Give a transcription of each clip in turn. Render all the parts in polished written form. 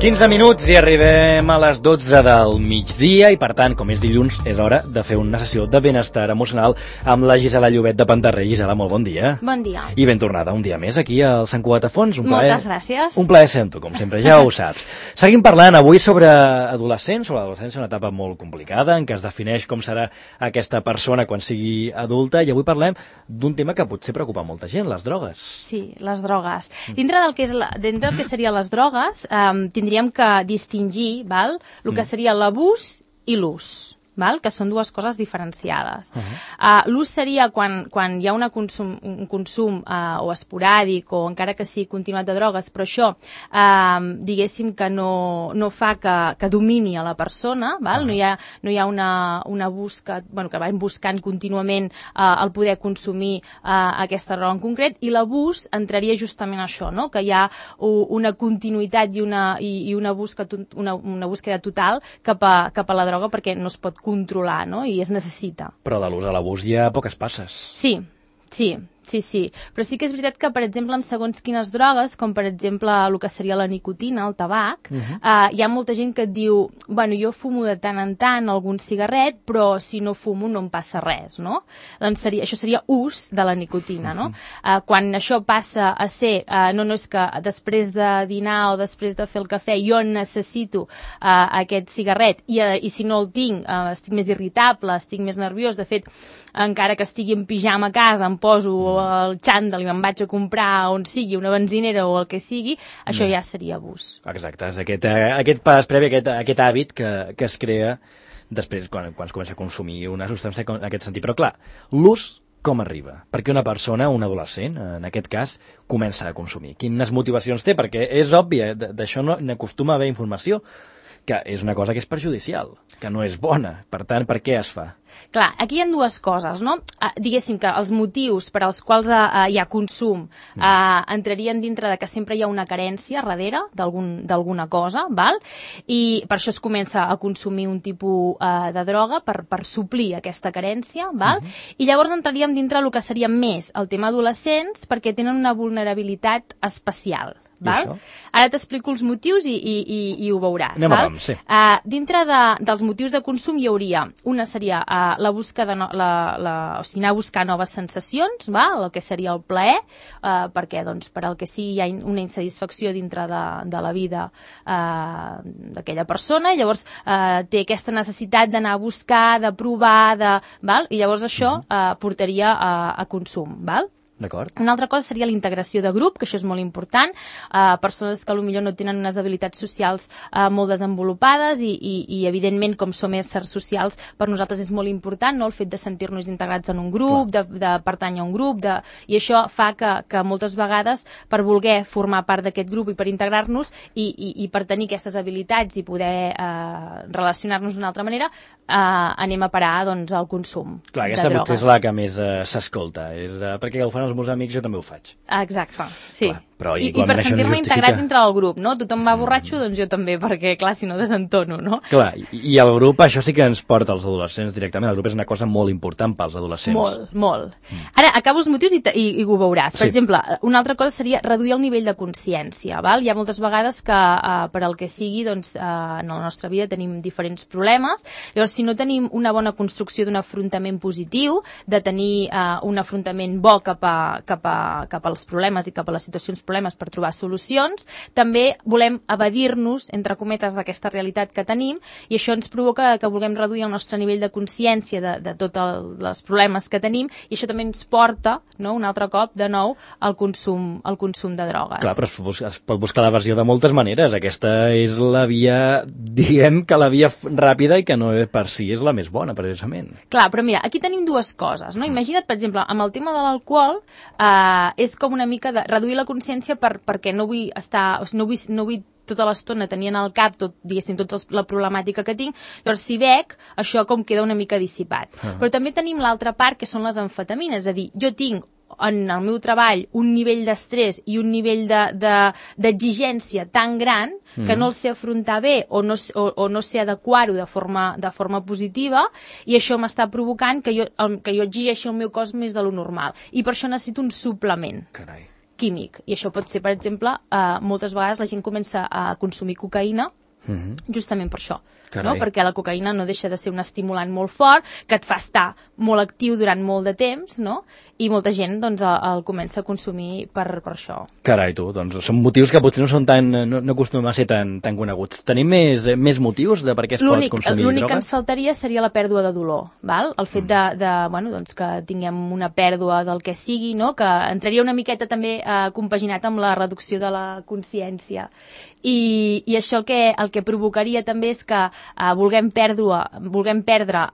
15 minuts i arribem a les 12 del migdia i, per tant, com és dilluns, és hora de fer una sessió de benestar emocional amb la Gisela Llobet de Pantarré. Gisela, molt bon dia. Bon dia. I ben tornada un dia més aquí al Sant Cugat a Fons. Moltes gràcies. Un plaer sento, com sempre, ja ho saps. Seguim parlant avui sobre adolescents, sobre l'adolescència, una etapa molt complicada en què es defineix com serà aquesta persona quan sigui adulta, i avui parlem d'un tema que potser preocupa molta gent, les drogues. Sí, les drogues. Dintre del que serien les drogues, tindríem que distingir, val, el que seria l'abús i l'ús, val? Que són dues coses diferenciades. L'ús seria quan hi ha un consum o esporàdic o encara que sigui continuat de drogues, però això diguéssim que no fa que domini a la persona, val? No hi ha una busca, que van buscant contínuament el poder consumir aquesta droga en concret, i l'abús entraria justament això, no? Que hi ha una continuïtat i una búsqueda total cap a la droga perquè no es pot controlar, no? I es necessita. Però de l'ús a l'abús hi ha poques passes. Sí. Però sí que és veritat que, per exemple, en segons quines drogues, com per exemple el que seria la nicotina, el tabac, hi ha molta gent que et diu, jo fumo de tant en tant algun cigarret, però si no fumo no em passa res, no? Doncs això seria ús de la nicotina, no? Quan això passa a ser, no és que després de dinar o després de fer el cafè jo necessito aquest cigarret i si no el tinc estic més irritable, estic més nerviós, de fet, encara que estigui en pijama a casa, em poso el xandall i me'n vaig a comprar on sigui, una benzinera o el que sigui, això ja seria abús. Exacte, és aquest pas previ, aquest hàbit que es crea després quan es comença a consumir una substància en aquest sentit. Però clar, l'ús com arriba? Perquè una persona, un adolescent, en aquest cas, comença a consumir. Quines motivacions té? Perquè és obvi, d'això n'acostuma a haver informació, que és una cosa que és perjudicial, que no és bona. Per tant, per què es fa? Clar, aquí hi ha dues coses, no? Diguéssim que els motius per als quals hi ha consum entrarien dintre de que sempre hi ha una carència darrere d'alguna cosa, val? I per això es comença a consumir un tipus de droga per suplir aquesta carència, val? I llavors entraríem dintre del que seria més el tema adolescents perquè tenen una vulnerabilitat especial. Val? Ara t'explico els motius i ho veuràs. Val? Sí. Dintre dels motius de consum hi hauria, una seria la búsqueda, o sigui, anar a buscar noves sensacions, val? El que seria el plaer, perquè per al que sigui hi ha una insatisfacció dintre de la vida d'aquella persona, i llavors té aquesta necessitat d'anar a buscar, de provar, val? I llavors això portaria a consum, val? D'acord. Una altra cosa seria la integració de grup, que això és molt important. Persones que potser no tenen unes habilitats socials molt desenvolupades i evidentment, com som éssers socials, per nosaltres és molt important, no? El fet de sentir-nos integrats en un grup, de pertànyer a un grup, i això fa que moltes vegades, per voler formar part d'aquest grup i per integrar-nos i per tenir aquestes habilitats i poder relacionar-nos d'una altra manera, anem a parar al consum de drogues. Clar, aquesta potser és la que més s'escolta, perquè el fan els meus amics, jo també ho faig. Exacte, sí. Clar, però I per sentir-me integrat dintre del grup, no? Tothom va borratxo, doncs jo també, perquè, clar, si no desentono, no? Clar, i el grup, això sí que ens porta als adolescents directament. El grup és una cosa molt important pels adolescents. Molt. Ara, acabo els motius i ho veuràs. Per exemple, una altra cosa seria reduir el nivell de consciència, val? Hi ha moltes vegades que, per al que sigui, doncs, en la nostra vida tenim diferents problemes. Llavors, si no tenim una bona construcció d'un afrontament positiu, de tenir un afrontament bo cap als problemes i cap a les situacions problemes per trobar solucions, també volem evadir-nos, entre cometes, d'aquesta realitat que tenim, i això ens provoca que vulguem reduir el nostre nivell de consciència de tots els problemes que tenim, i això també ens porta, no, un altre cop, de nou, al consum de drogues. Clar, però es pot buscar la versió de moltes maneres. Aquesta és la via, diguem que la via ràpida i que no per si és la més bona, precisament. Clar, però mira, aquí tenim dues coses, no? Imagina't, per exemple, amb el tema de l'alcohol, és com una mica de reduir la consciència perquè no vull estar, no vull tota l'estona tenint al cap diguéssim, tota la problemàtica que tinc, llavors si bec, això com queda una mica dissipat. Però també tenim l'altra part, que són les amfetamines, és a dir, jo tinc en el meu treball un nivell d'estrès i un nivell d'exigència tan gran que no el sé afrontar bé o no sé adequar-ho de forma positiva, i això m'està provocant que jo exigeixi el meu cos més de lo normal, i per això necessito un suplement. Carai. químic. I això pot ser, per exemple, moltes vegades la gent comença a consumir cocaïna justament per això. No? Perquè la cocaïna no deixa de ser un estimulant molt fort, que et fa estar molt actiu durant molt de temps, no? I molta gent doncs, el comença a consumir per això. Carai, tu, doncs són motius que potser no són no acostumen a ser tan coneguts. Tenim més motius de per què es pot consumir drogues? L'únic que ens faltaria seria la pèrdua de dolor, val? El fet doncs, que tinguem una pèrdua del que sigui, no? Que entraria una miqueta també compaginat amb la reducció de la consciència. I això el que provocaria també és que vulguem perdre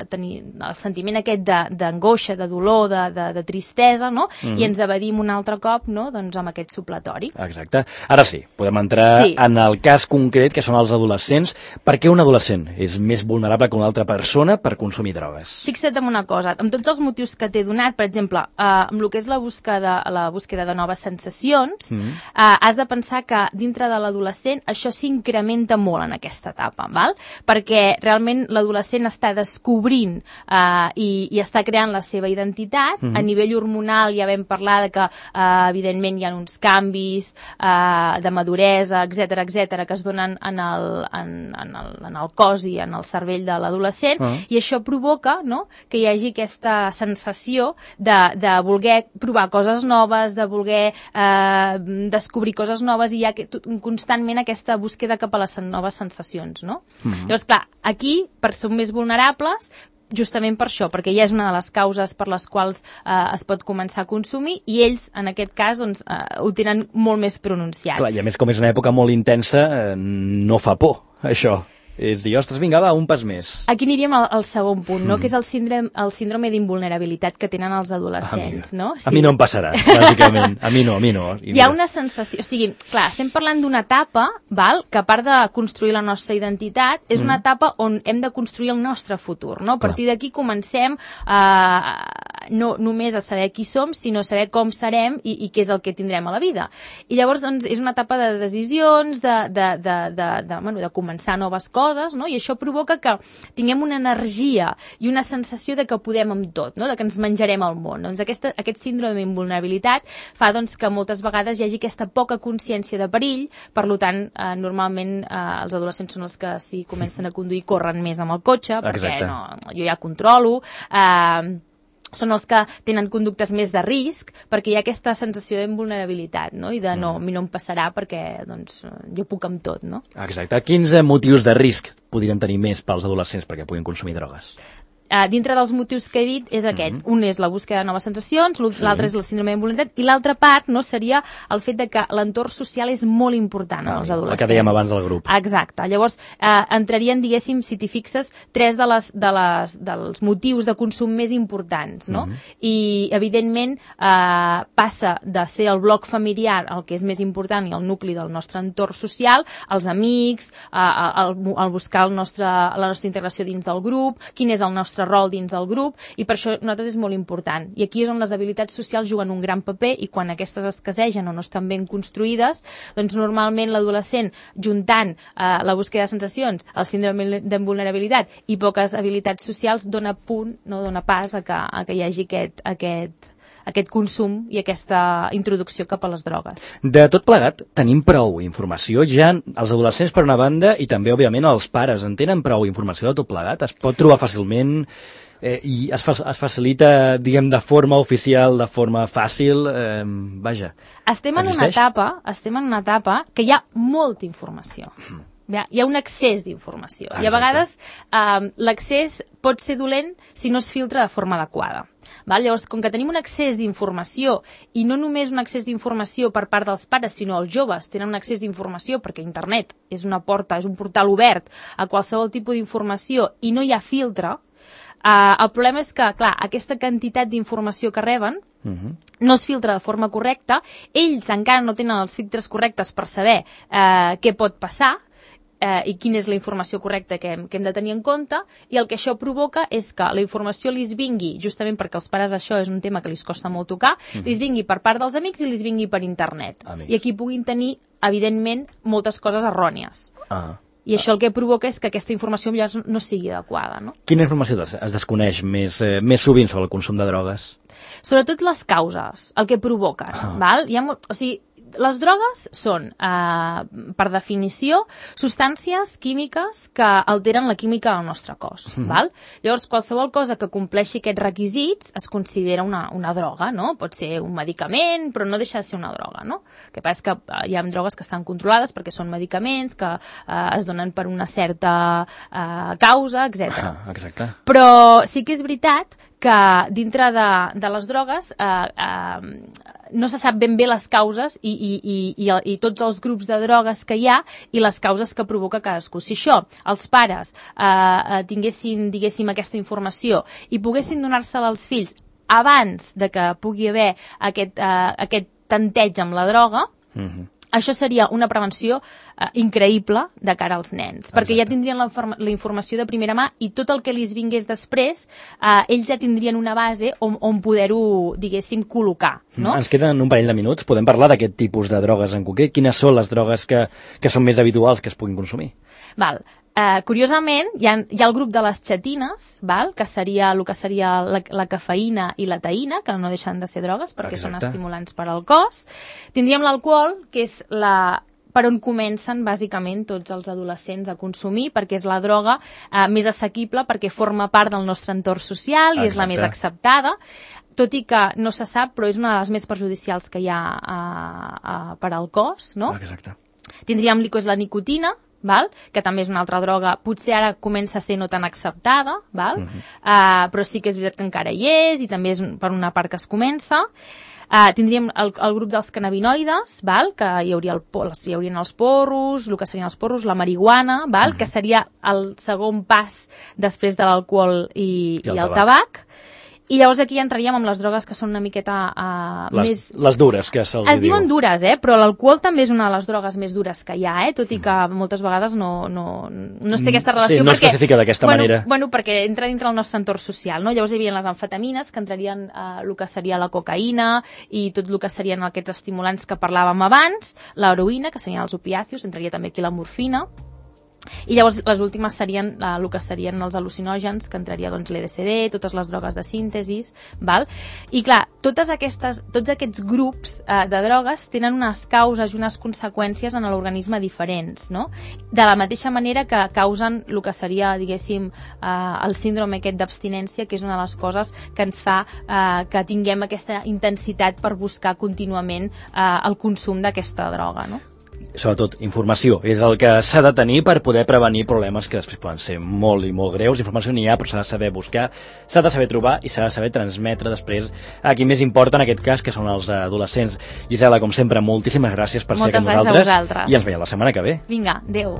tenir el sentiment aquest d'angoixa, de dolor, de tristesa, no? I ens evadim un altre cop, no? Doncs amb aquest supletori. Exacte. Ara sí, podem entrar en el cas concret, que són els adolescents. Per què un adolescent és més vulnerable que una altra persona per consumir drogues? Fixa't en una cosa, amb tots els motius que t'he donat, per exemple, amb el que és la búsqueda de noves sensacions, has de pensar que dintre de l'adolescent això s'incrementa molt en aquesta etapa, val? Perquè realment l'adolescent està descobrint i està creant la seva identitat. A nivell hormonal ja vam parlar de que evidentment hi ha uns canvis de maduresa, etc que es donen en el cos i en el cervell de l'adolescent, i això provoca, no?, que hi hagi aquesta sensació de voler provar coses noves, de voler descobrir coses noves, i hi ha constantment aquesta búsqueda cap a les noves sensacions, no? Llavors, clar, aquí som més vulnerables justament per això, perquè ja és una de les causes per les quals es pot començar a consumir, i ells, en aquest cas, doncs, ho tenen molt més pronunciat. Clar, i a més, com és una època molt intensa, no fa por, això. És dir, ostres, vinga, va, un pas més. Aquí aniríem al segon punt, no? Que és el síndrome d'invulnerabilitat que tenen els adolescents, no? Sí. A mi no em passarà, bàsicament. A mi no. Hi ha una sensació, o sigui, clar, estem parlant d'una etapa, val?, que a part de construir la nostra identitat, és una etapa on hem de construir el nostre futur, no? A partir d'aquí comencem no només a saber qui som, sinó a saber com serem i què és el que tindrem a la vida. I llavors, doncs, és una etapa de decisions, de començar noves coses, no? I això provoca que tinguem una energia i una sensació de que podem amb tot, no? De que ens menjarem el món. Doncs aquest síndrome d'invulnerabilitat fa, doncs, que moltes vegades hi hagi aquesta poca consciència de perill. Per tant, normalment els adolescents són els que, si comencen a conduir, corren més amb el cotxe, perquè jo ja controlo, són els que tenen conductes més de risc, perquè hi ha aquesta sensació d'invulnerabilitat, no? I de a mi no em passarà perquè doncs, jo puc amb tot, no? Exacte. Quins motius de risc podrien tenir més pels adolescents perquè puguin consumir drogues? Dintre dels motius que he dit és aquest. Un és la búsqueda de noves sensacions, l'altre és la síndrome d'invulnerabilitat, i l'altra part, no, seria el fet de que l'entorn social és molt important als adolescents. El que dèiem abans del grup. Exacte. Llavors, entrarien, diguéssim, si t'hi fixes, tres dels motius de consum més importants, no? I, evidentment, passa de ser el bloc familiar el que és més important i el nucli del nostre entorn social, els amics, el buscar la nostra integració dins del grup, quin és el nostre rol dins del grup, i per això nosaltres és molt important. I aquí és on les habilitats socials juguen un gran paper, i quan aquestes escassegen o no estan ben construïdes, doncs normalment l'adolescent, juntant la búsqueda de sensacions, el síndrome d'invulnerabilitat i poques habilitats socials, dona pas a que hi hagi aquest consum i aquesta introducció cap a les drogues. De tot plegat, tenim prou informació. Ja els adolescents, per una banda, i també, òbviament, els pares en tenen prou informació de tot plegat. Es pot trobar fàcilment i es facilita, diguem, de forma oficial, de forma fàcil. Vaja, estem en una etapa que hi ha molta informació. Hi ha un excés d'informació. I a vegades l'accés pot ser dolent si no es filtra de forma adequada. Llavors, com que tenim un excés d'informació, i no només un excés d'informació per part dels pares, sinó els joves tenen un excés d'informació perquè internet és una porta, és un portal obert a qualsevol tipus d'informació i no hi ha filtre, el problema és que, clar, aquesta quantitat d'informació que reben no es filtra de forma correcta, ells encara no tenen els filtres correctes per saber què pot passar, i quina és la informació correcta que hem de tenir en compte, i el que això provoca és que la informació li vingui, justament perquè els pares això és un tema que li costa molt tocar, li vingui per part dels amics i li vingui per internet. I aquí puguin tenir, evidentment, moltes coses errònies. I això el que provoca és que aquesta informació no sigui adequada, no? Quina informació es desconeix més sovint sobre el consum de drogues? Sobretot les causes, el que provoquen, val? O sigui, les drogues són, per definició, substàncies químiques que alteren la química del nostre cos. Val? Llavors, qualsevol cosa que compleixi aquests requisits es considera una droga, no? Pot ser un medicament, però no deixa de ser una droga, no? El que passa és que hi ha drogues que estan controlades perquè són medicaments, que es donen per una certa causa, etc. Exacte. Però sí que és veritat que dintre de les drogues no se sap ben bé les causes i tots els grups de drogues que hi ha i les causes que provoca cadascú. Si això, els pares tinguessin, diguéssim, aquesta informació i poguessin donar-se-la als fills abans de que pugui haver aquest tanteig amb la droga, això seria una prevenció increïble de cara als nens, perquè ja tindrien la informació de primera mà i tot el que els vingués després, ells ja tindrien una base on poder-ho, diguéssim, col·locar. No? Ens queden un parell de minuts. Podem parlar d'aquest tipus de drogues en concret? Quines són les drogues que són més habituals que es puguin consumir? Val. Curiosament, hi ha el grup de les xetines, val? Que seria el que seria la cafeïna i la taïna, que no deixen de ser drogues perquè són estimulants per al cos. Tindríem l'alcohol, que és per on comencen bàsicament tots els adolescents a consumir, perquè és la droga més assequible, perquè forma part del nostre entorn social i és la més acceptada, tot i que no se sap, però és una de les més perjudicials que hi ha per al cos, no? Exacte. Tindríem la nicotina, val? Que també és una altra droga, potser ara comença a ser no tan acceptada, val? Però sí que és veritat que encara hi és i també és per una part que es comença. Tindríem el grup dels cannabinoides, val? Que hi haurien els porros, el que serien els porros, la marihuana, val? Que seria el segon pas després de l'alcohol i el tabac. I llavors aquí entraríem amb les drogues que són una miqueta més... Les dures, que se'ls diu. Es diuen dures, però l'alcohol també és una de les drogues més dures que hi ha, tot i que moltes vegades no es té aquesta relació. Sí, no es classifica d'aquesta manera. Bueno, perquè entra dintre el nostre entorn social, no? Llavors hi havia les amfetamines, que entrarien el que seria la cocaïna i tot el que serien aquests estimulants que parlàvem abans, l'heroïna, que serien els opiàcios, entraria també aquí la morfina. I llavors les últimes serien el que serien els al·lucinògens, que entraria doncs l'LSD, totes les drogues de síntesis, val? I clar, tots aquests grups de drogues tenen unes causes i unes conseqüències en l'organisme diferents, no? De la mateixa manera que causen el que seria, diguéssim, el síndrome aquest d'abstinència, que és una de les coses que ens fa que tinguem aquesta intensitat per buscar contínuament el consum d'aquesta droga, no? Sobretot, informació és el que s'ha de tenir per poder prevenir problemes que després poden ser molt i molt greus. Informació n'hi ha, però s'ha de saber buscar, s'ha de saber trobar i s'ha de saber transmetre després a qui més importa en aquest cas, que són els adolescents. Gisela, com sempre, moltíssimes gràcies per ser aquí amb nosaltres. Moltes gràcies a vosaltres. I ens veiem la setmana que ve. Vinga, adeu.